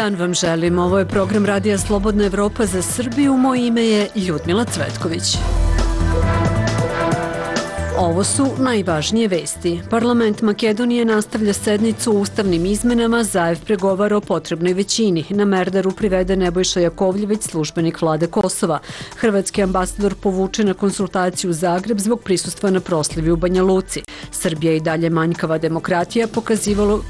dan vam želim. Ovo je program Radija Slobodna Evropa za Srbiju. Moje ime je Ljudmila Cvetković. Ovo su najvažnije vesti. Parlament Makedonije nastavlja sednicu o ustavnim izmenama, Zaev pregovara o potrebnoj većini. Na Merdaru privede Nebojša Jakovljević, službenik vlade Kosova. Hrvatski ambasador povuče na konsultaciju u Zagreb zbog prisustva na proslavi u Banja Luci. Srbija i dalje manjkava demokratija,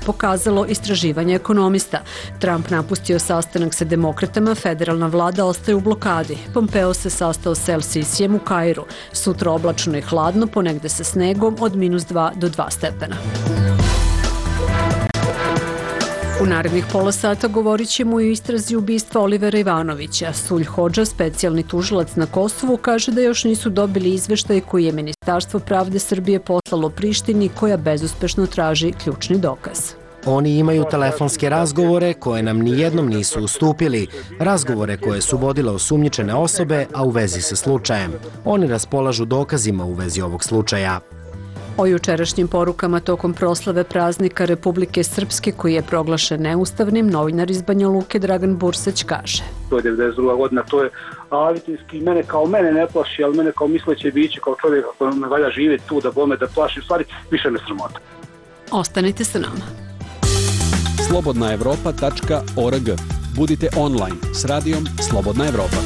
pokazalo istraživanje ekonomista. Trump napustio sastanak sa demokratama, federalna vlada ostaje u blokadi. Pompeo se sastao s El Sisijem u Kairu. Sutra oblačno i hladno, ponegde sa snegom od -2 do 2 stepena. U narednih pola sata govorit ćemo o istrazi ubistva Olivera Ivanovića. Sulj Hodža, specijalni tužilac na Kosovu, kaže da još nisu dobili izveštaj koji je Ministarstvo pravde Srbije poslalo Prištini, koja bezuspešno traži ključni dokaz. Oni imaju telefonske razgovore koje nam nijednom nisu ustupili, razgovore koje su vodile osumnjičene osobe, a u vezi sa slučajem. Oni raspolažu dokazima u vezi ovog slučaja. O jučerašnjim porukama tokom proslave praznika Republike Srpske, koji je proglašen neustavnim, novinar iz Banja Luke Dragan Bursać kaže: To je 92. godina, to je avitinski, mene ne plaši, ali mene kao misleće biće, kao čovjek ako me valja živjeti tu da bome da plaši, u stvari više me sramota. Ostanite sa nama. slobodnaevropa.org. Budite online s radijom Slobodna Evropa.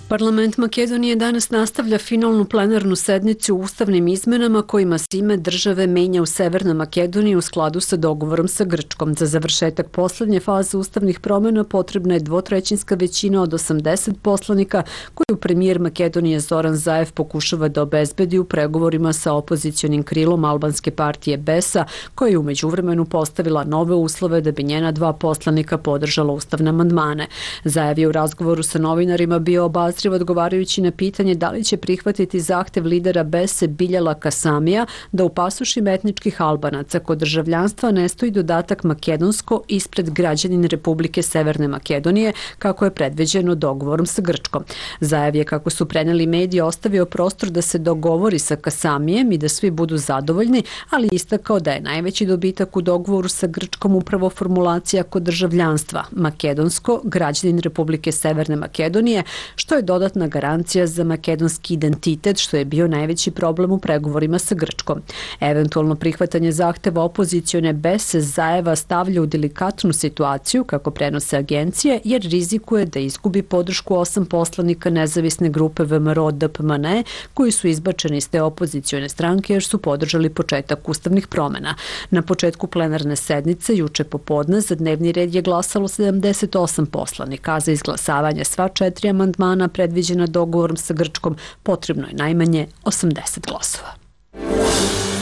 Parlament Makedonije danas nastavlja finalnu plenarnu sednicu u ustavnim izmenama kojima se ime države menja u Severnoj Makedoniji u skladu sa dogovorom sa Grčkom. Za završetak poslednje faze ustavnih promjena potrebna je dvotrećinska većina od 80 poslanika koju premijer Makedonije Zoran Zaev pokušava da obezbedi u pregovorima sa opozicionim krilom albanske partije BES-a, koja je u međuvremenu postavila nove uslove da bi njena 2 poslanika podržala ustavne amandmane. Zaev je u razgovoru sa novinarima bio obazriv odgovarajući na pitanje da li će prihvatiti zahtev lidera BES-e Biljala Kasamija da u pasošima etničkih Albanaca kod državljanstva ne stoji dodatak makedonsko ispred građanin Republike Severne Makedonije, kako je predviđeno dogovorom sa Grčkom. Zaev je, kako su preneli mediji, ostavio prostor da se dogovori sa Kasamijem i da svi budu zadovoljni, ali istakao da je najveći dobitak u dogovoru sa Grčkom upravo formulacija kod državljanstva makedonsko, građanin Republike Severne Makedonije, što je dodatna garancija za makedonski identitet, što je bio najveći problem u pregovorima sa Grčkom. Eventualno prihvatanje zahteva opozicione BES-e Zaeva stavlja u delikatnu situaciju, kako prenose agencije, jer rizikuje da izgubi podršku 8 poslanika nezavisne grupe VMRO-DPMNE, koji su izbačeni iz te opozicione stranke jer su podržali početak ustavnih promjena. Na početku plenarne sednice, juče popodne, za dnevni red je glasalo 78 poslanika, a za izglasavanje sva 4 amandmana predviđena dogovorom sa Grčkom potrebno je najmanje 80 glasova.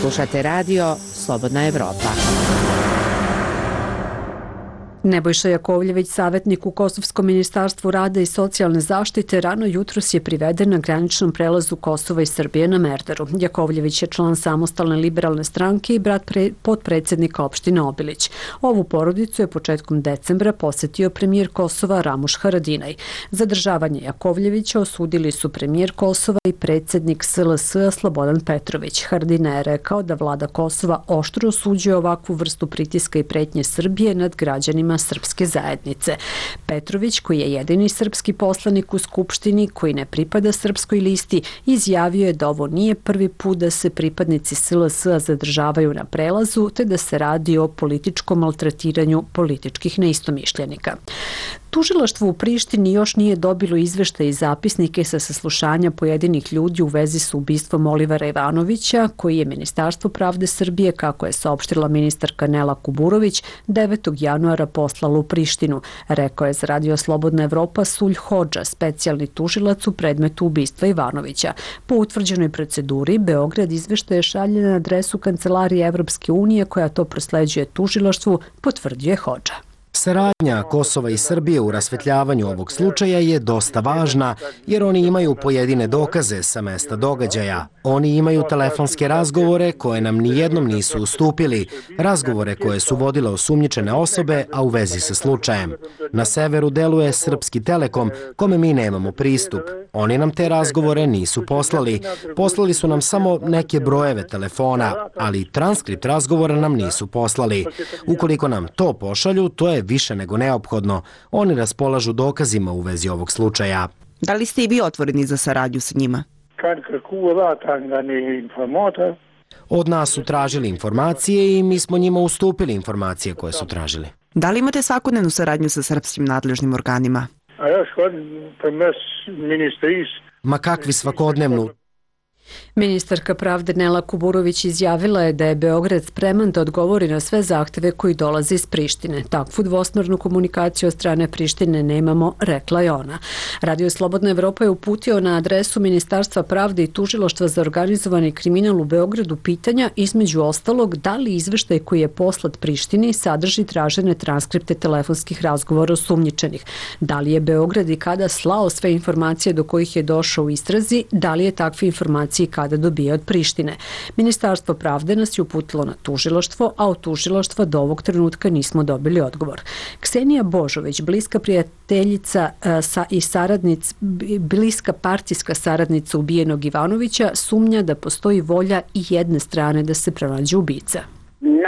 Slušate radio Slobodna Evropa. Nebojša Jakovljević, savjetnik u Kosovskom ministarstvu rada i socijalne zaštite, rano jutros je priveden na graničnom prelazu Kosova i Srbije na Merdaru. Jakovljević je član Samostalne liberalne stranke i brat potpredsjednika opštine Obilić. Ovu porodicu je početkom decembra posjetio premijer Kosova Ramuš Haradinaj. Zadržavanje Jakovljevića osudili su premijer Kosova i predsjednik SLS-a Slobodan Petrović. Haradinaj je rekao da vlada Kosova oštro osuđuje ovakvu vrstu pritiska i pretnje Srbije nad građanima srpske zajednice. Petrović, koji je jedini srpski poslanik u Skupštini koji ne pripada srpskoj listi, izjavio je da ovo nije prvi put da se pripadnici SLS-a zadržavaju na prelazu, te da se radi o političkom maltretiranju političkih neistomišljenika. Tužilaštvo u Prištini još nije dobilo izveštaje i zapisnike sa saslušanja pojedinih ljudi u vezi sa ubistvom Olivera Ivanovića, koji je Ministarstvo pravde Srbije, kako je saopštila ministarka Nela Kuburović, 9. januara poslalo u Prištinu, rekao je za Radio Slobodna Evropa Sulj Hodža, specijalni tužilac u predmetu ubistva Ivanovića. Po utvrđenoj proceduri, Beograd izveštaje šalje na adresu Kancelarije Evropske unije, koja to prosleđuje tužilaštvu, potvrđuje Hodža. Saradnja Kosova i Srbije u rasvetljavanju ovog slučaja je dosta važna, jer oni imaju pojedine dokaze sa mesta događaja. Oni imaju telefonske razgovore koje nam nijednom nisu ustupili, razgovore koje su vodile osumnjičene osobe, a u vezi sa slučajem. Na severu deluje Srpski Telekom, kome mi nemamo pristup. Oni nam te razgovore nisu poslali. Poslali su nam samo neke brojeve telefona, ali transkript razgovora nam nisu poslali. Ukoliko nam to pošalju, to je više nego neophodno. Oni raspolažu dokazima u vezi ovog slučaja. Da li ste i vi otvoreni za saradnju sa njima? Od nas su tražili informacije i mi smo njima ustupili informacije koje su tražili. Da li imate svakodnevnu saradnju sa srpskim nadležnim organima? Ma kakvi svakodnevnu? Ministarka pravde Nela Kuburović izjavila je da je Beograd spreman da odgovori na sve zahteve koji dolaze iz Prištine. Takvu dvosmernu komunikaciju od strane Prištine nemamo, rekla je ona. Radio Slobodna Evropa je uputio na adresu Ministarstva pravde i Tužilaštva za organizovani kriminal u Beogradu pitanja, između ostalog, da li izveštaj koji je poslat Prištini sadrži tražene transkripte telefonskih razgovora osumnjičenih, da li je Beograd i kada slao sve informacije do kojih je došao u istrazi, da li je takve informacije i kada dobije od Prištine. Ministarstvo pravde nas je uputilo na tužilaštvo, a od tužilaštva do ovog trenutka nismo dobili odgovor. Ksenija Božović, bliska prijateljica i bliska partijska saradnica ubijenog Ivanovića, sumnja da postoji volja i jedne strane da se pronađe ubica.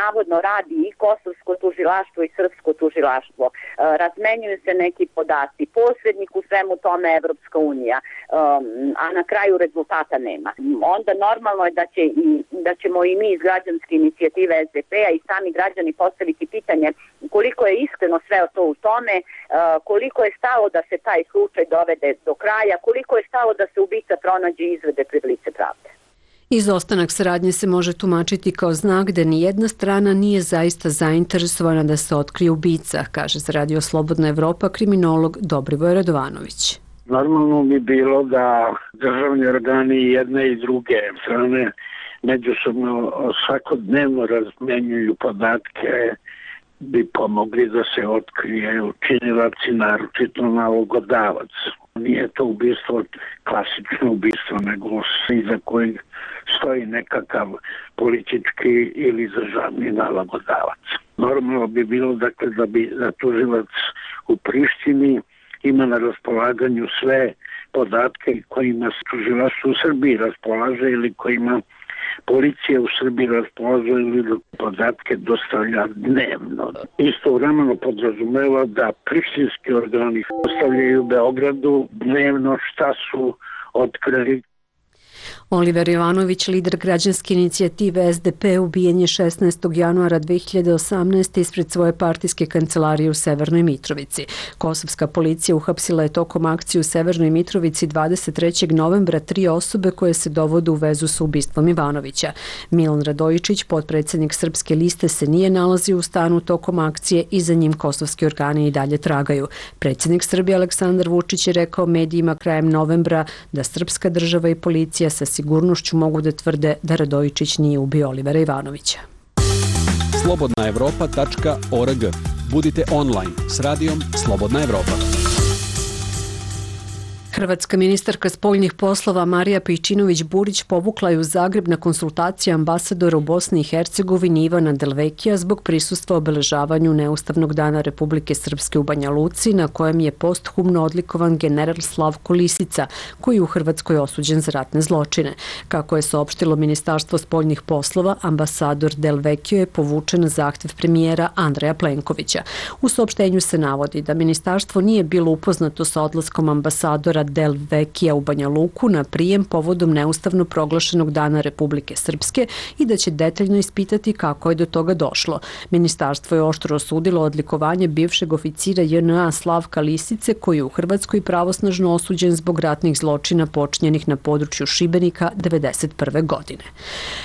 Navodno radi i kosovsko tužilaštvo i srpsko tužilaštvo. Razmenjuju se neki podaci. Posrednik u svemu tome je Evropska unija, a na kraju rezultata nema. Onda normalno je da ćemo i mi iz građanske inicijative SDP-a i sami građani postaviti pitanje koliko je iskreno sve to u tome, koliko je stalo da se taj slučaj dovede do kraja, koliko je stalo da se ubica pronađe i izvede pred lice pravde. Izostanak saradnje se može tumačiti kao znak da ni jedna strana nije zaista zainteresovana da se otkrije ubica, kaže za Radio Slobodna Evropa kriminolog Dobrivoj Radovanović. Normalno bi bilo da državni organi jedne i druge strane međusobno svakodnevno razmenjuju podatke, bi pomogli da se otkrije učinilac i naročito nalogodavac. Nije to ubistvo klasično ubistvo, nego iza kojeg stoji nekakav politički ili državni nalogodavac. Normalno bi bilo dakle, da tužilac u Prištini ima na raspolaganju sve podatke kojima tužilaštvo u Srbiji raspolaže ili kojima policija u Srbiji raspolaže ili podatke dostavlja dnevno. Istovremeno podrazumeva da prištinski organi dostavljaju Beogradu dnevno šta su otkrili. Oliver Jovanović, lider građanske inicijative SDP, ubijen je 16. januara 2018. ispred svoje partijske kancelarije u Severnoj Mitrovici. Kosovska policija uhapsila je tokom akcije u Severnoj Mitrovici 23. novembra 3 osobe koje se dovode u vezu sa ubistvom Ivanovića. Milan Radojičić, potpredsjednik Srpske liste, se nije nalazio u stanu tokom akcije i za njim kosovski organi i dalje tragaju. Predsjednik Srbije Aleksandar Vučić je rekao medijima krajem novembra da srpska država i policija sa sigurnošću mogu da tvrde da Radojičić nije ubio Olivera Ivanovića. Slobodnaevropa.org. Budite online s radijom Slobodna Evropa. Hrvatska ministarka spoljnih poslova Marija Pejčinović-Burić povukla je u Zagreb na konsultacije ambasadora u Bosni i Hercegovini Ivana Delvekija zbog prisustva obeležavanju Neustavnog dana Republike Srpske u Banja Luci, na kojem je posthumno odlikovan general Slavko Lisica, koji je u Hrvatskoj osuđen za ratne zločine. Kako je saopštilo Ministarstvo spoljnih poslova, ambasador Delvekio je povučen na zahtev premijera Andreja Plenkovića. U saopštenju se navodi da ministarstvo nije bilo upoznato sa odlaskom ambasadora Delvekija u Banja Luku na prijem povodom neustavno proglašenog dana Republike Srpske i da će detaljno ispitati kako je do toga došlo. Ministarstvo je oštro osudilo odlikovanje bivšeg oficira JNA Slavka Lisice, koji je u Hrvatskoj pravosnažno osuđen zbog ratnih zločina počinjenih na području Šibenika 1991. godine.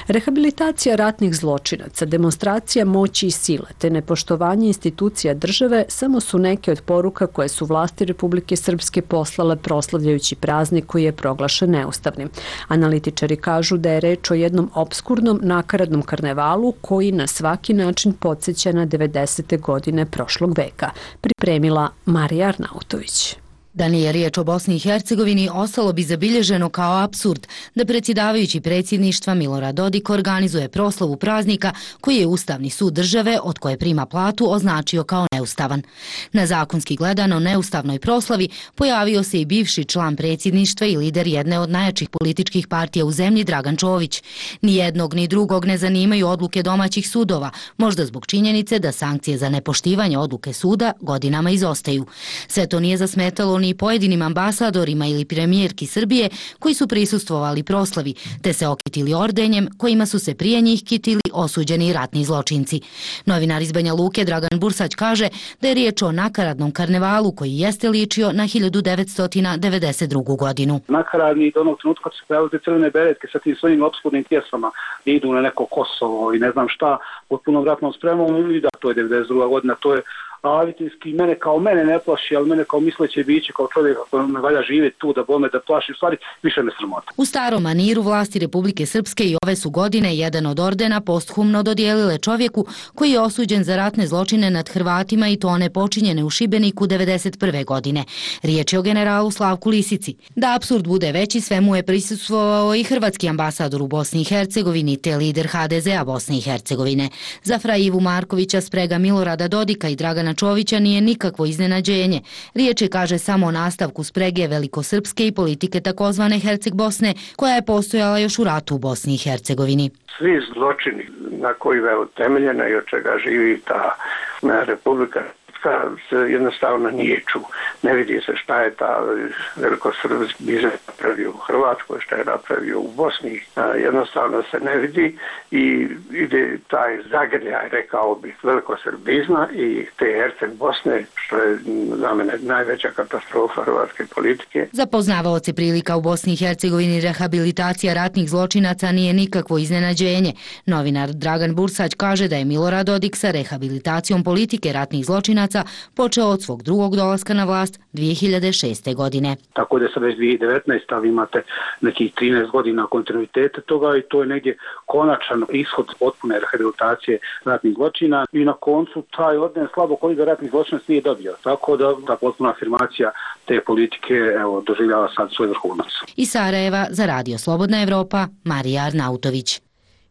Rehabilitacija ratnih zločinaca, demonstracija moći i sile te nepoštovanje institucija države samo su neke od poruka koje su vlasti Republike Srpske poslale proslavljajući praznik koji je proglašen neustavnim. Analitičari kažu da je reč o jednom opskurnom, nakaradnom karnevalu koji na svaki način podsjeća na 90. godine prošlog veka. Pripremila Marija Arnautović. Da nije riječ o Bosni i Hercegovini, ostalo bi zabilježeno kao apsurd da predsjedavajući predsjedništva Milorad Dodik organizuje proslavu praznika koji je Ustavni sud države od koje prima platu označio kao neustavan. Na zakonski gledano neustavnoj proslavi pojavio se i bivši član predsjedništva i lider jedne od najjačih političkih partija u zemlji Dragan Čović. Ni jednog ni drugog ne zanimaju odluke domaćih sudova, možda zbog činjenice da sankcije za nepoštivanje odluke suda godinama izostaju. Sve to nije zasmetalo ni pojedinim ambasadorima ili premijerki Srbije koji su prisustvovali proslavi, te se okitili ordenjem kojima su se prije njih kitili osuđeni ratni zločinci. Novinar iz Banja Luke Dragan Bursać kaže da je riječ o nakaradnom karnevalu koji jeste ličio na 1992. godinu. Nakaradni do onog trenutka kad su pojavili te crvene beretke sa tim svojim opskurnim pjesmama, idu na neko Kosovo i ne znam šta, pod punom ratnom spremom, i da, to je 92. godina, to je avitinski, mene ne plaši, ali mene kao misleće biće, kao čovjeka koji ne valja živjeti tu da bome da plaši, u stvari više me sramota. U starom maniru vlasti Republike Srpske i ove su godine jedan od ordena posthumno dodijelile čovjeku koji je osuđen za ratne zločine nad Hrvatima i to one počinjene u Šibeniku 1991. godine. Riječ je o generalu Slavku Lisici. Da apsurd bude veći, svemu je prisustvovao i hrvatski ambasador u Bosni i Hercegovini te lider HDZ-a Bosne i Hercegovine. Za Fra Ivu Markovića sprega Milorada Dodika i Dragana Čovića nije nikakvo iznenađenje. Riječ je, kaže, samo o nastavku sprege velikosrpske i politike takozvane Herceg Bosne, koja je postojala još u ratu u Bosni i Hercegovini. Svi zločini na koji je utemeljena i od čega živi ta Republika se jednostavno nijeću. Ne vidi se šta je ta velikosrpski biznis napravio u Hrvatskoj, šta je napravio u Bosni. Jednostavno se ne vidi i ide taj zagrljaj, rekao bih, velikosrbizma i te Herceg Bosne, što je za mene najveća katastrofa hrvatske politike. Za poznavaoce prilika u Bosni i Hercegovini rehabilitacija ratnih zločinaca nije nikakvo iznenađenje. Novinar Dragan Bursać kaže da je Milorad Dodik sa rehabilitacijom politike ratnih zločinaca počeo od svog drugog dolaska na vlast 2006. godine. Tako da je sad već 2019. ali imate nekih 13 godina kontinuiteta toga i to je negdje konačan ishod potpune rehabilitacije ratnih zločina i na koncu taj orden slabo koliko ratnih zločina nije dobio. Tako da ta potpuna afirmacija te politike doživljava sad svoj vrhunac. Iz Sarajeva za Radio Slobodna Evropa, Marija Arnautović.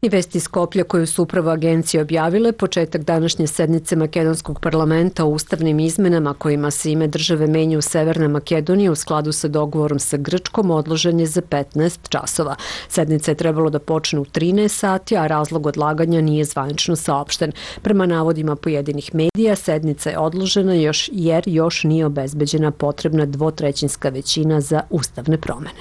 I vesti iz Skoplja koju su upravo agencije objavile, početak današnje sednice Makedonskog parlamenta o ustavnim izmenama kojima se ime države menja u Severne Makedonije u skladu sa dogovorom sa Grčkom odložen je za 15 časova. Sednica je trebalo da počne u 13 sati, a razlog odlaganja nije zvanično saopšten. Prema navodima pojedinih medija, sednica je odložena jer još nije obezbeđena potrebna dvotrećinska većina za ustavne promene.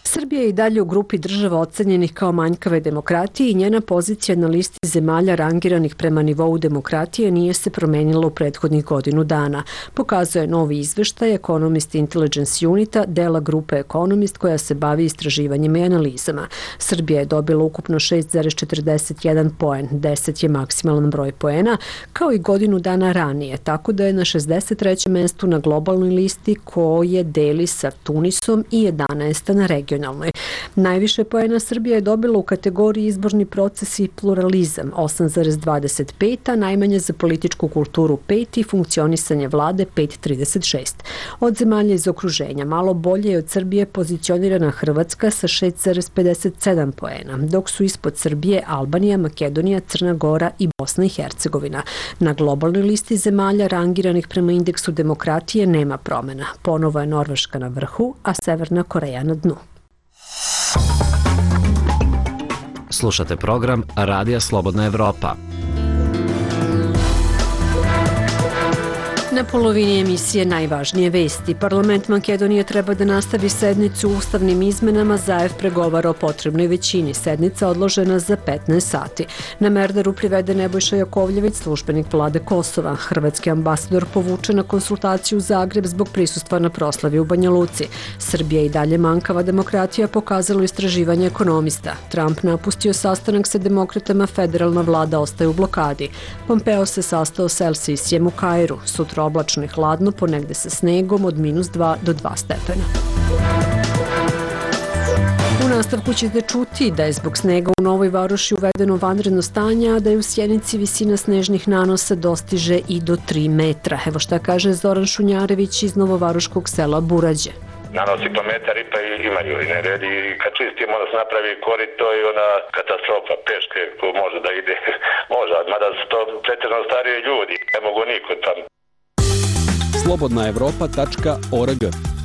Srbija je i dalje u grupi država ocenjenih kao manjkave demokratije i njena pozicija na listi zemalja rangiranih prema nivou demokratije nije se promenila u prethodnih godinu dana. Pokazuje novi izveštaj Economist Intelligence Unita, dela grupe Economist koja se bavi istraživanjima i analizama. Srbija je dobila ukupno 6,41 poen, 10 je maksimalan broj poena, kao i godinu dana ranije, tako da je na 63. mestu na globalnoj listi koje deli sa Tunisom i 11. na regionalnoj. Najviše poena Srbija je dobila u kategoriji izborni proces i pluralizam 8,25, a najmanje za političku kulturu 5 i funkcionisanje vlade 5,36. Od zemalja iz okruženja malo bolje je od Srbije pozicionirana Hrvatska sa 6,57 poena, dok su ispod Srbije Albanija, Makedonija, Crna Gora i Bosna i Hercegovina. Na globalnoj listi zemalja rangiranih prema indeksu demokratije nema promjena. Ponovo je Norveška na vrhu, a Severna Koreja na dnu. Slušate program Radija Slobodna Evropa. Na polovini emisije najvažnije vesti. Parlament Makedonije treba da nastavi sednicu u ustavnim izmenama. Zaev pregovara o potrebnoj većini. Sednica odložena za 15 sati. Na Merdaru privede Nebojša Jakovljević, službenik vlade Kosova. Hrvatski ambasador povuče na konsultaciju u Zagreb zbog prisustva na proslavi u Banja Luci. Srbija i dalje manjkava demokratija, pokazalo istraživanje Ekonomista. Trump napustio sastanak sa demokratama, federalna vlada ostaje u blokadi. Pompeo se sastao s El-Sisijem u Kairu. Sutra oblačno i hladno, ponegde sa snegom od -2 do 2 stepena. U nastavku ćete čuti da je zbog snega u Novoj Varoši uvedeno vanredno stanje, a da je u Sjenici visina snežnih nanosa dostiže i do 3 metra. Evo šta kaže Zoran Šunjarević iz novovaroškog sela Burađe. Nanosi po metar i pa imaju i nered i kad čistimo onda se napravi korito i ona katastrofa peške ko može da ide, može, mada su to pretežno starije ljudi, ne mogu niko tamo. Slobodnaevropa.org.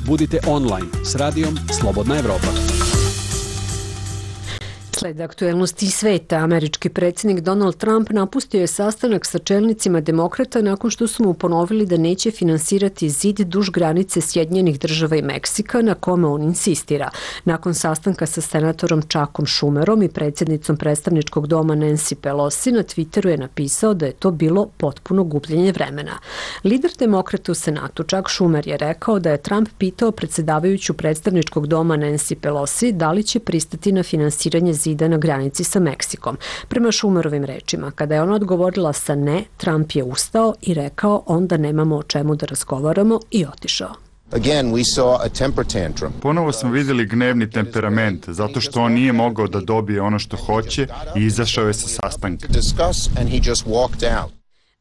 Budite online s radijom Slobodna Evropa. Slede aktuelnosti sveta, američki predsjednik Donald Trump napustio je sastanak sa čelnicima demokrata nakon što su mu ponovili da neće finansirati zid duž granice Sjedinjenih Država i Meksika, na kome on insistira. Nakon sastanka sa senatorom Chuckom Schumerom i predsjednicom predstavničkog doma Nancy Pelosi, na Twitteru je napisao da je to bilo potpuno gubljenje vremena. Lider demokrata u Senatu Chuck Schumer je rekao da je Trump pitao predsjedavajuću predstavničkog doma Nancy Pelosi da li će pristati na finansiranje zida na granici sa Meksikom. Prema Schumerovim rečima, kada je ona odgovorila sa ne, Trump je ustao i rekao onda nemamo o čemu da razgovaramo i otišao. Ponovo smo vidjeli gnevni temperament, zato što on nije mogao da dobije ono što hoće i izašao je sa sastanka.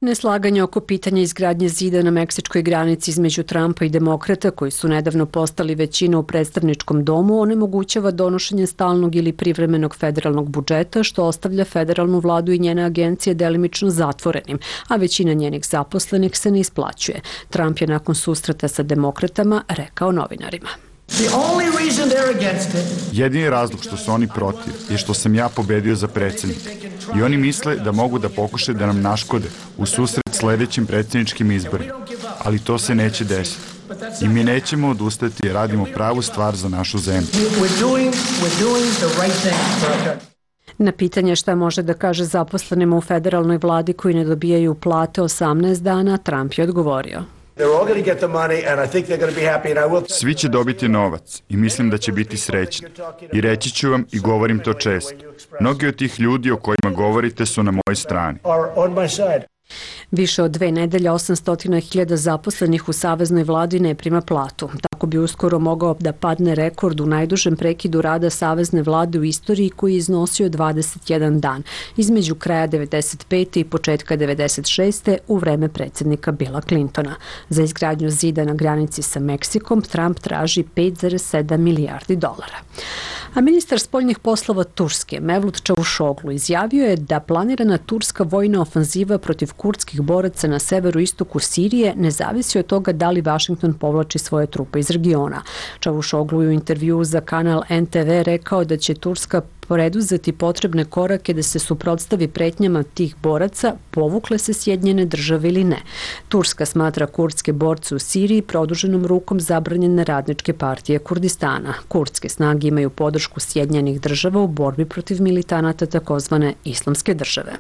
Neslaganje oko pitanja izgradnje zida na meksičkoj granici između Trumpa i demokrata, koji su nedavno postali većina u predstavničkom domu, onemogućava donošenje stalnog ili privremenog federalnog budžeta, što ostavlja federalnu vladu i njene agencije delimično zatvorenim, a većina njenih zaposlenih se ne isplaćuje. Trump je nakon susreta sa demokratama rekao novinarima. Jedini razlog što su oni protiv je što sam ja pobedio za predsjednika i oni misle da mogu da pokušaju da nam naškode u susret sljedećim predsjedničkim izborima, ali to se neće desiti. I mi nećemo odustati jer radimo pravu stvar za našu zemlju. Na pitanje šta može da kaže zaposlenima u federalnoj vladi koji ne dobijaju plate 18 dana, Trump je odgovorio. Svi će dobiti novac i mislim da će biti srećni. I reći ću vam i govorim to često. Mnogi od tih ljudi o kojima govorite su na mojoj strani. Više od 2 nedelje 800.000 zaposlenih u saveznoj vladi ne prima platu. Tako bi uskoro mogao da padne rekord u najdužem prekidu rada savezne vlade u istoriji koji je iznosio 21 dan, između kraja 1995. i početka 1996. u vreme predsjednika Billa Clintona. Za izgradnju zida na granici sa Meksikom Trump traži 5,7 milijardi dolara. A ministar spoljnih poslova Turske, Mevlut Čavuşoglu, izjavio je da planirana turska vojna ofanziva protiv kurdskih boraca na severu istoku Sirije ne zavisi od toga da li Vašington povlači svoje trupe iz regiona. Čavuşoglu je u intervjuu za kanal NTV rekao da će Turska preduzeti potrebne korake da se suprotstavi pretnjama tih boraca, povukle se Sjedinjene Države ili ne. Turska smatra kurdske borce u Siriji produženom rukom zabranjene radničke partije Kurdistana. Kurdske snage imaju podršku Sjedinjenih Država u borbi protiv militanata takozvane Islamske države.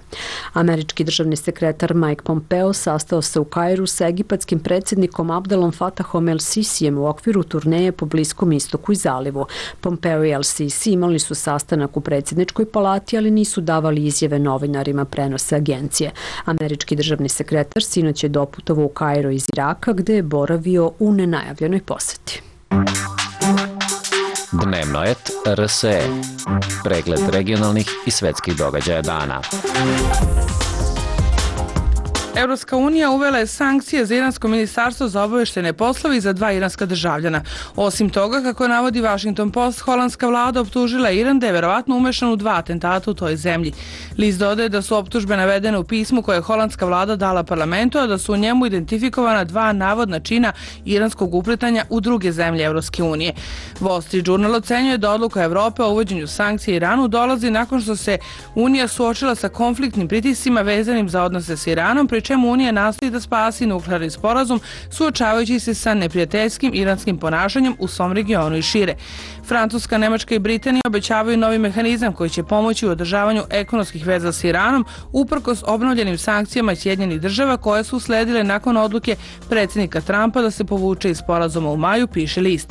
Američki državni sekretar Mike Pompeo sastao se u Kairu sa egipatskim predsjednikom Abdelom Fatahom el-Sisijem u okviru turneje po Bliskom istoku i zalivu. Pompeo i el-Sisi imali su sastanak u predsjedničkoj palati, ali nisu davali izjave novinarima, prenose agencije. Američki državni sekretar sinoć je doputovao u Kairo iz Iraka, gde je boravio u nenajavljenoj poseti. Dnevno et RSE. Pregled regionalnih i svetskih događaja dana. Evropska unija uvela je sankcije za iransko ministarstvo za obaveštene poslove i za 2 iranska državljana. Osim toga, kako navodi Washington Post, holandska vlada optužila Iran da je verovatno umešan u 2 atentata u toj zemlji. List dodaje da su optužbe navedene u pismu koje je holandska vlada dala parlamentu, a da su u njemu identifikovana 2 navodna čina iranskog upletanja u druge zemlje Evropske unije. Wall Street Journal ocenjuje da odluka Evrope o uvođenju sankcija Iranu dolazi nakon što se Unija suočila sa konfliktnim pritiscima vezanim za odnose s Iranom, pri čemu Unija nastoji da spasi nuklearni sporazum suočavajući se sa neprijateljskim iranskim ponašanjem u svom regionu i šire. Francuska, Nemačka i Britanija obećavaju novi mehanizam koji će pomoći u održavanju ekonomskih veza s Iranom uprkos obnovljenim sankcijama Sjedinjenih Država koje su usledile nakon odluke predsjednika Trumpa da se povuče iz sporazuma u maju, piše list.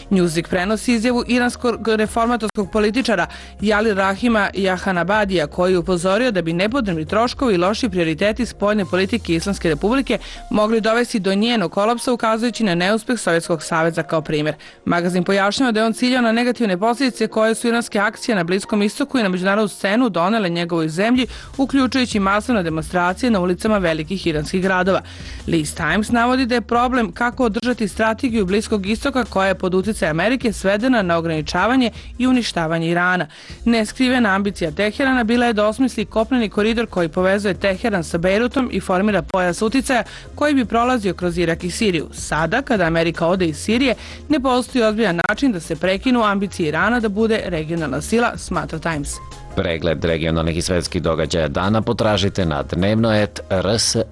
Newsweek prenosi izjavu iranskog reformatorskog političara Jali Rahima Jahanabadija, koji je upozorio da bi nepotrebni troškovi i loši prioriteti spoljne politike politike Islamske republike mogli dovesti do njenog kolapsa, ukazujući na neuspeh Sovjetskog saveza kao primjer. Magazin pojašnjava da je on ciljao na negativne posljedice koje su iranske akcije na Bliskom istoku i na međunarodnu scenu donele njegovoj zemlji, uključujući masovne demonstracije na ulicama velikih iranskih gradova. List Times navodi da je problem kako održati strategiju Bliskog istoka koja je pod utjecajem Amerike svedena na ograničavanje i uništavanje Irana. Neskrivena ambicija Teherana bila je da osmisli kopneni koridor koji povezuje Teheran sa Bejrutom i formira pojas uticaja koji bi prolazio kroz Irak i Siriju. Sada, kada Amerika ode iz Sirije, ne postoji ozbiljan način da se prekinu ambicije Irana da bude regionalna sila, smatra Times. Pregled regionalnih i svetskih događaja dana potražite na dnevno.rse,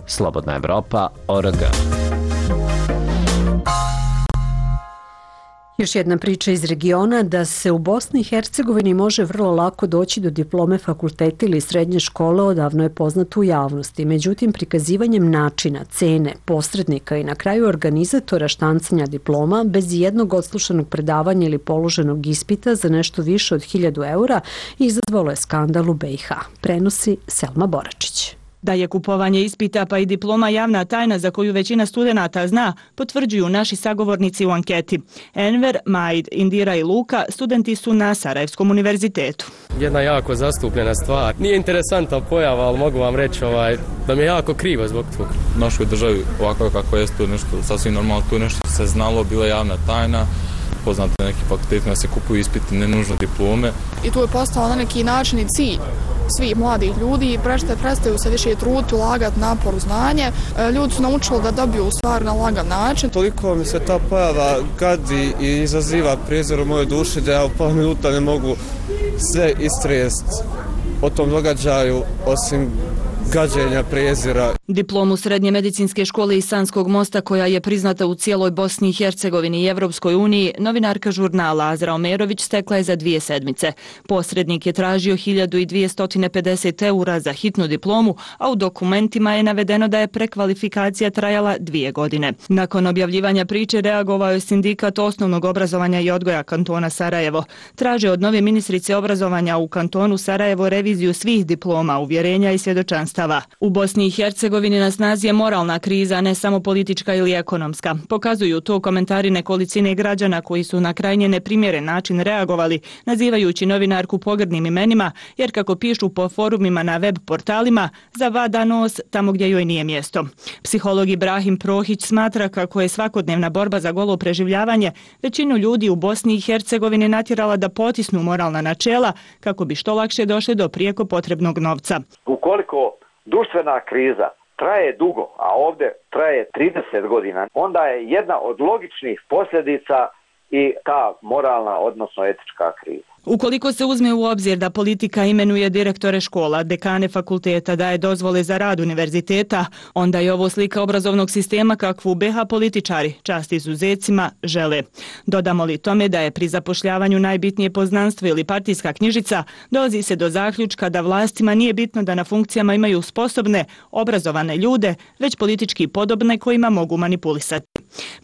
slobodnaevropa.org. Još jedna priča iz regiona da se u Bosni i Hercegovini može vrlo lako doći do diplome fakulteta ili srednje škole odavno je poznato u javnosti. Međutim, prikazivanjem načina, cene, posrednika i na kraju organizatora štancanja diploma bez jednog odslušanog predavanja ili položenog ispita za nešto više od 1000 eura izazvalo je skandal u BiH. Prenosi Selma Boračić. Da je kupovanje ispita pa i diploma javna tajna za koju većina studenata zna, potvrđuju naši sagovornici u anketi. Enver, Majd, Indira i Luka studenti su na Sarajevskom univerzitetu. Jedna jako zastupljena stvar. Nije interesantna pojava, ali mogu vam reći da mi je jako krivo zbog toga. U našoj državi ovako kako je to nešto sasvim normalno, tu nešto se znalo, bila javna tajna. Poznate neki fakultetima se kupuju ispiti, ne nužno diplome. I tu je postao na neki način i cilj svih mladih ljudi, prestaju se više truditi, ulagati napor u znanje. Ljudi su naučili da dobiju stvar na lagan način. Toliko mi se ta pojava gadi i izaziva prijezor u mojoj duši da ja u pola minuta ne mogu sve istresti o tom događaju osim gađenja, prijezira. Diplomu Srednje medicinske škole iz Sanskog mosta, koja je priznata u cijeloj Bosni i Hercegovini i Evropskoj uniji, novinarka žurnala Azra Omerović stekla je za 2 sedmice. Posrednik je tražio 1250 eura za hitnu diplomu, a u dokumentima je navedeno da je prekvalifikacija trajala 2 godine. Nakon objavljivanja priče reagovao je sindikat osnovnog obrazovanja i odgoja kantona Sarajevo. Traže od nove ministrice obrazovanja u kantonu Sarajevo reviziju svih diploma, uvjerenja i svjedočanstava. U Bosni i Hercegovini na snazi je moralna kriza, ne samo politička ili ekonomska. Pokazuju to komentari nekolicine građana koji su na krajnje neprimjeren način reagovali, nazivajući novinarku pogrdnim imenima, jer kako pišu po forumima na web portalima, zavada nos tamo gdje joj nije mjesto. Psiholog Ibrahim Prohić smatra kako je svakodnevna borba za golo preživljavanje većinu ljudi u Bosni i Hercegovini natjerala da potisnu moralna načela kako bi što lakše došli do prijeko potrebnog novca. Ukoliko društvena kriza traje dugo, a ovdje traje 30 godina, onda je jedna od logičnih posljedica i ta moralna, odnosno etička kriza. Ukoliko se uzme u obzir da politika imenuje direktore škola, dekane fakulteta, daje dozvole za rad univerziteta, onda je ovo slika obrazovnog sistema kakvu BiH političari, čast izuzecima, žele. Dodamo li tome da je pri zapošljavanju najbitnije poznanstvo ili partijska knjižica, dolazi se do zaključka da vlastima nije bitno da na funkcijama imaju sposobne, obrazovane ljude, već politički podobne kojima mogu manipulisati.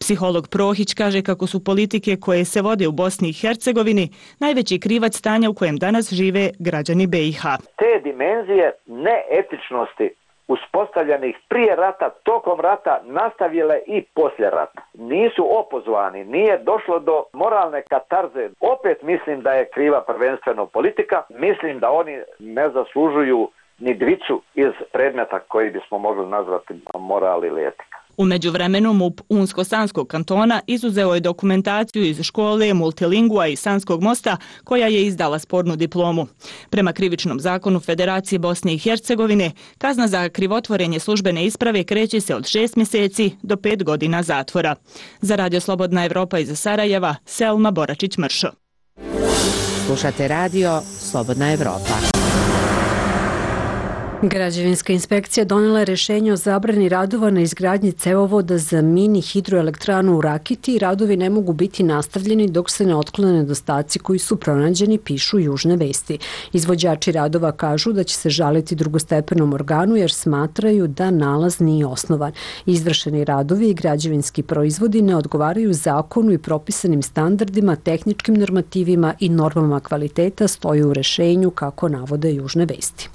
Psiholog Prohić kaže kako su politike koje se vode u Bosni i Hercegovini najveći krivac stanja u kojem danas žive građani BiH. Te dimenzije neetičnosti uspostavljenih prije rata, tokom rata, nastavile i poslije rata. Nisu opozvani, nije došlo do moralne katarze. Opet mislim da je kriva prvenstveno politika. Mislim da oni ne zaslužuju ni dvicu iz predmeta koji bismo mogli nazvati moral ili etika. U međuvremenu MUP Unsko-Sanskog kantona izuzeo je dokumentaciju iz škole Multilingua i Sanskog mosta koja je izdala spornu diplomu. Prema krivičnom zakonu Federacije Bosne i Hercegovine, kazna za krivotvorenje službene isprave kreće se od 6 mjeseci do 5 godina zatvora. Za Radio Slobodna Evropa iz Sarajeva, Selma Boračić-Mršo. Slušate radio Slobodna Evropa. Građevinska inspekcija donela je rješenje o zabrani radova na izgradnji cevovoda za mini hidroelektranu u Rakiti i radovi ne mogu biti nastavljeni dok se ne otklone nedostaci koji su pronađeni, pišu Južne vesti. Izvođači radova kažu da će se žaliti drugostepenom organu jer smatraju da nalaz nije osnovan. Izvršeni radovi i građevinski proizvodi ne odgovaraju zakonu i propisanim standardima, tehničkim normativima i normama kvaliteta, stoji u rješenju, kako navode Južne vesti.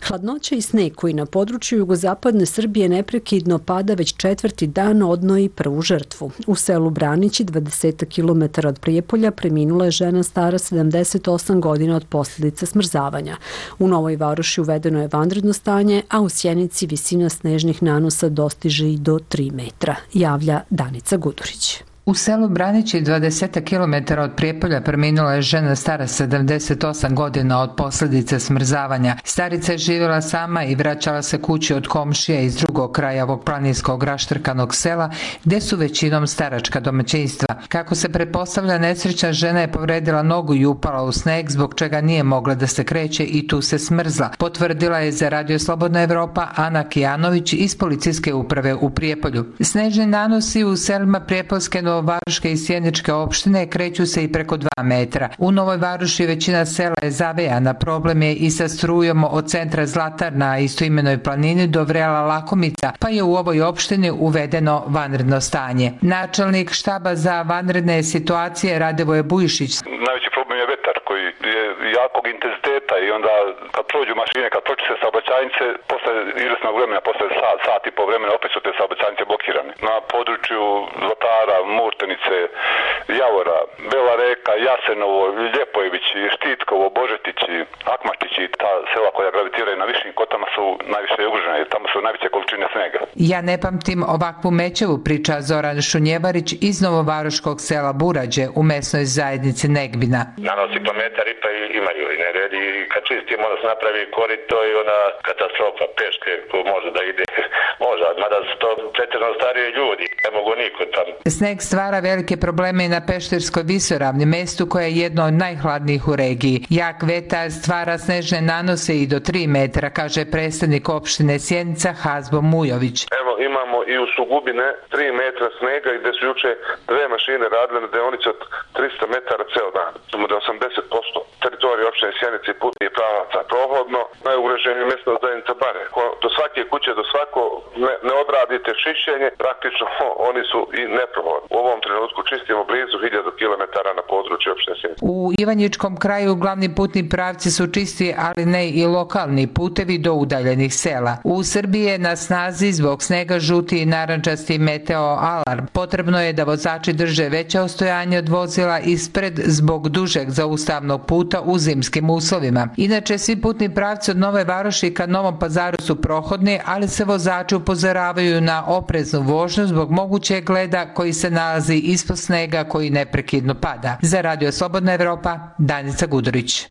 Hladnoća i sneg koji na području jugozapadne Srbije neprekidno pada već 4. dan odnoji prvu žrtvu. U selu Branići, 20 km od Prijepolja, preminula je žena stara 78 godina od posljedica smrzavanja. U Novoj Varoši uvedeno je vanredno stanje, a u Sjenici visina snežnih nanosa dostiže i do 3 metra, javlja Danica Gudurić. U selu Branići, 20 km od Prijepolja, preminula je žena stara 78 godina od posljedice smrzavanja. Starica je živjela sama i vraćala se kući od komšija iz drugog kraja ovog planinskog raštrkanog sela, gdje su većinom staračka domaćinstva. Kako se pretpostavlja, nesrećna žena je povredila nogu i upala u sneg, zbog čega nije mogla da se kreće i tu se smrzla. Potvrdila je za Radio Slobodna Evropa Ana Kijanović iz policijske uprave u Prijepolju. Snežni nanosi u selima Prijepoljske, Novovaroške i Sjeničke opštine kreću se i preko 2 metra. U Novoj Varoši većina sela je zavejana, problem je i sa strujom od centra Zlatar na istoimenoj planini do Vrela Lakomica, pa je u ovoj opštini uvedeno vanredno stanje. Načelnik štaba za vanredne situacije Radevoje Bujišić. Najveći problem je vetar koji je jakog intenziteta i onda kad prođu mašine, kad pročise saobraćajnice, posle izvesnog vremena, posle sat i po vremena opet su te saobraćajnice blokirane. Na području Zlatara, Murtenice, Javora, Bela Reka, Jasenovo, Ljepojevići, Štitkovo, Božetići, Akmaštići, ta sela koja gravitiraju na višim kotama su najviše ugrožene, tamo su najveće količine snega. Ja ne pamtim ovakvu mećavu, priča Zoran Šunjevarić iz Novovaroškog sela Burađe u mesnoj zajednici Negbina. Nanosi po metar i pa imaju i nered i kad čistimo onda se napravi korito i ona katastrofa peške ko može da ide, može, mada su to pretjerano starije ljudi, ne mogu niko tamo. Sneg stvara velike probleme i na Pešterskoj visoravni, mestu koje je jedno od najhladnijih u regiji. Jak vetar stvara snežne nanose i do 3 metra, kaže predstavnik opštine Sjenica Hazbo Mujović. Evo imamo i u Sugubine 3 metra snega i gde su juče 2 mašine radile na deonici od 300 metara ceo dan. Samo da 80% teritorije opštine Sjenice i putnih pravaca prohodno, najugroženije mjesto zajednica Bare. Do svake kuće, do svako ne odradite čišćenje, praktično oni su i neprohodni. U ovom trenutku čistimo blizu 1000 km na području opštine Sjenice. U Ivanjičkom kraju glavni putni pravci su čisti, ali ne i lokalni putevi do udaljenih sela. U Srbiji je na snazi zbog snega žuti i narandžasti meteo alarm. Potrebno je da vozači drže veće ostojanje od vozila ispred zbog dužeg zaustavnog puta u zimskim uslovima. Inače, svi putni pravci od Nove Varoši ka Novom Pazaru su prohodni, ali se vozači upozoravaju na opreznu vožnju zbog mogućeg leda koji se nalazi ispod snega koji neprekidno pada. Za Radio Slobodna Evropa, Danica Gudurić.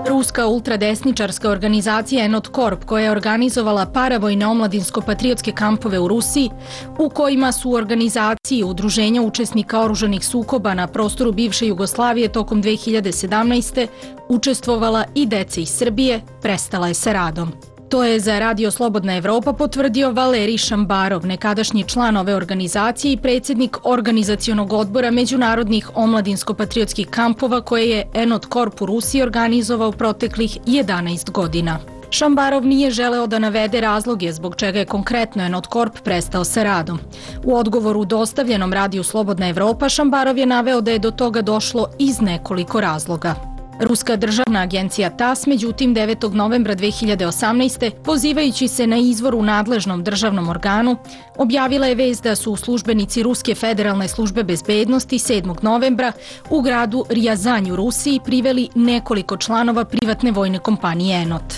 Ruska ultradesničarska organizacija Enot Corp, koja je organizovala paravojne omladinsko-patriotske kampove u Rusiji, u kojima su u organizaciji udruženja učesnika oružanih sukoba na prostoru bivše Jugoslavije tokom 2017. učestvovala i deca iz Srbije, prestala je sa radom. To je za Radio Slobodna Evropa potvrdio Valerij Šambarov, nekadašnji član ove organizacije i predsjednik organizacionog odbora međunarodnih omladinsko-patriotskih kampova koje je Enot Corp u Rusiji organizovao proteklih 11 godina. Šambarov nije želeo da navede razloge zbog čega je konkretno Enot Corp prestao sa radom. U odgovoru dostavljenom Radiju Slobodna Evropa, Šambarov je naveo da je do toga došlo iz nekoliko razloga. Ruska državna agencija TASS, međutim, 9. novembra 2018. pozivajući se na izvor u nadležnom državnom organu, objavila je vest da su službenici Ruske federalne službe bezbednosti 7. novembra u gradu Rijazanj u Rusiji priveli nekoliko članova privatne vojne kompanije Enot.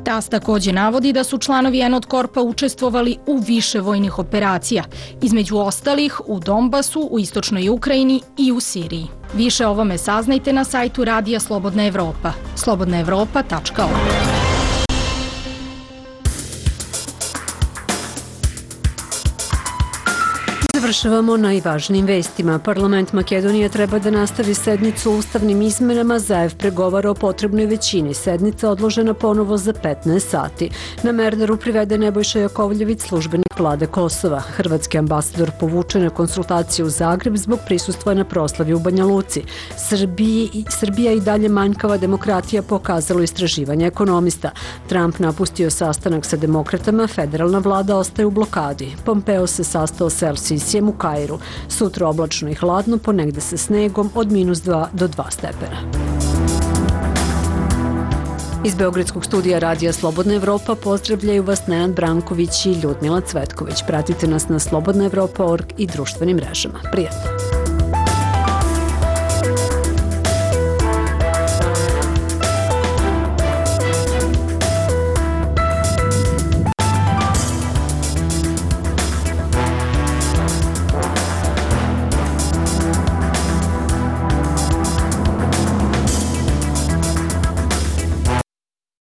TASS također navodi da su članovi Enot Corpa učestvovali u više vojnih operacija, između ostalih u Donbasu, u istočnoj Ukrajini i u Siriji. Više o ovome saznajte na sajtu Radija Slobodna Evropa, slobodnaevropa.org. Završavamo najvažnijim vestima. Parlament Makedonije treba da nastavi sednicu o ustavnim izmenama. Zaev pregovara o potrebnoj većini. Sednica odložena ponovo za 15 sati. Na Merdaru privede Nebojša Jakovljević, službenik vlade Kosova. Hrvatski ambasador povučen na konsultacije u Zagreb zbog prisustva na proslavi u Banja Luci. Srbija i dalje manjkava demokratija, pokazalo istraživanje ekonomista. Trump napustio sastanak sa demokratama, federalna vlada ostaje u blokadi. Pompeo se sastao s El Sisijem Celzijem u Kairu. Sutra oblačno i hladno, ponegde sa snegom od -2 do 2 stepena. Iz Beogradskog studija Radija Slobodna Evropa pozdravljaju vas Nenad Branković i Ljudmila Cvetković. Pratite nas na slobodnaevropa.org i društvenim mrežama. Prijatno!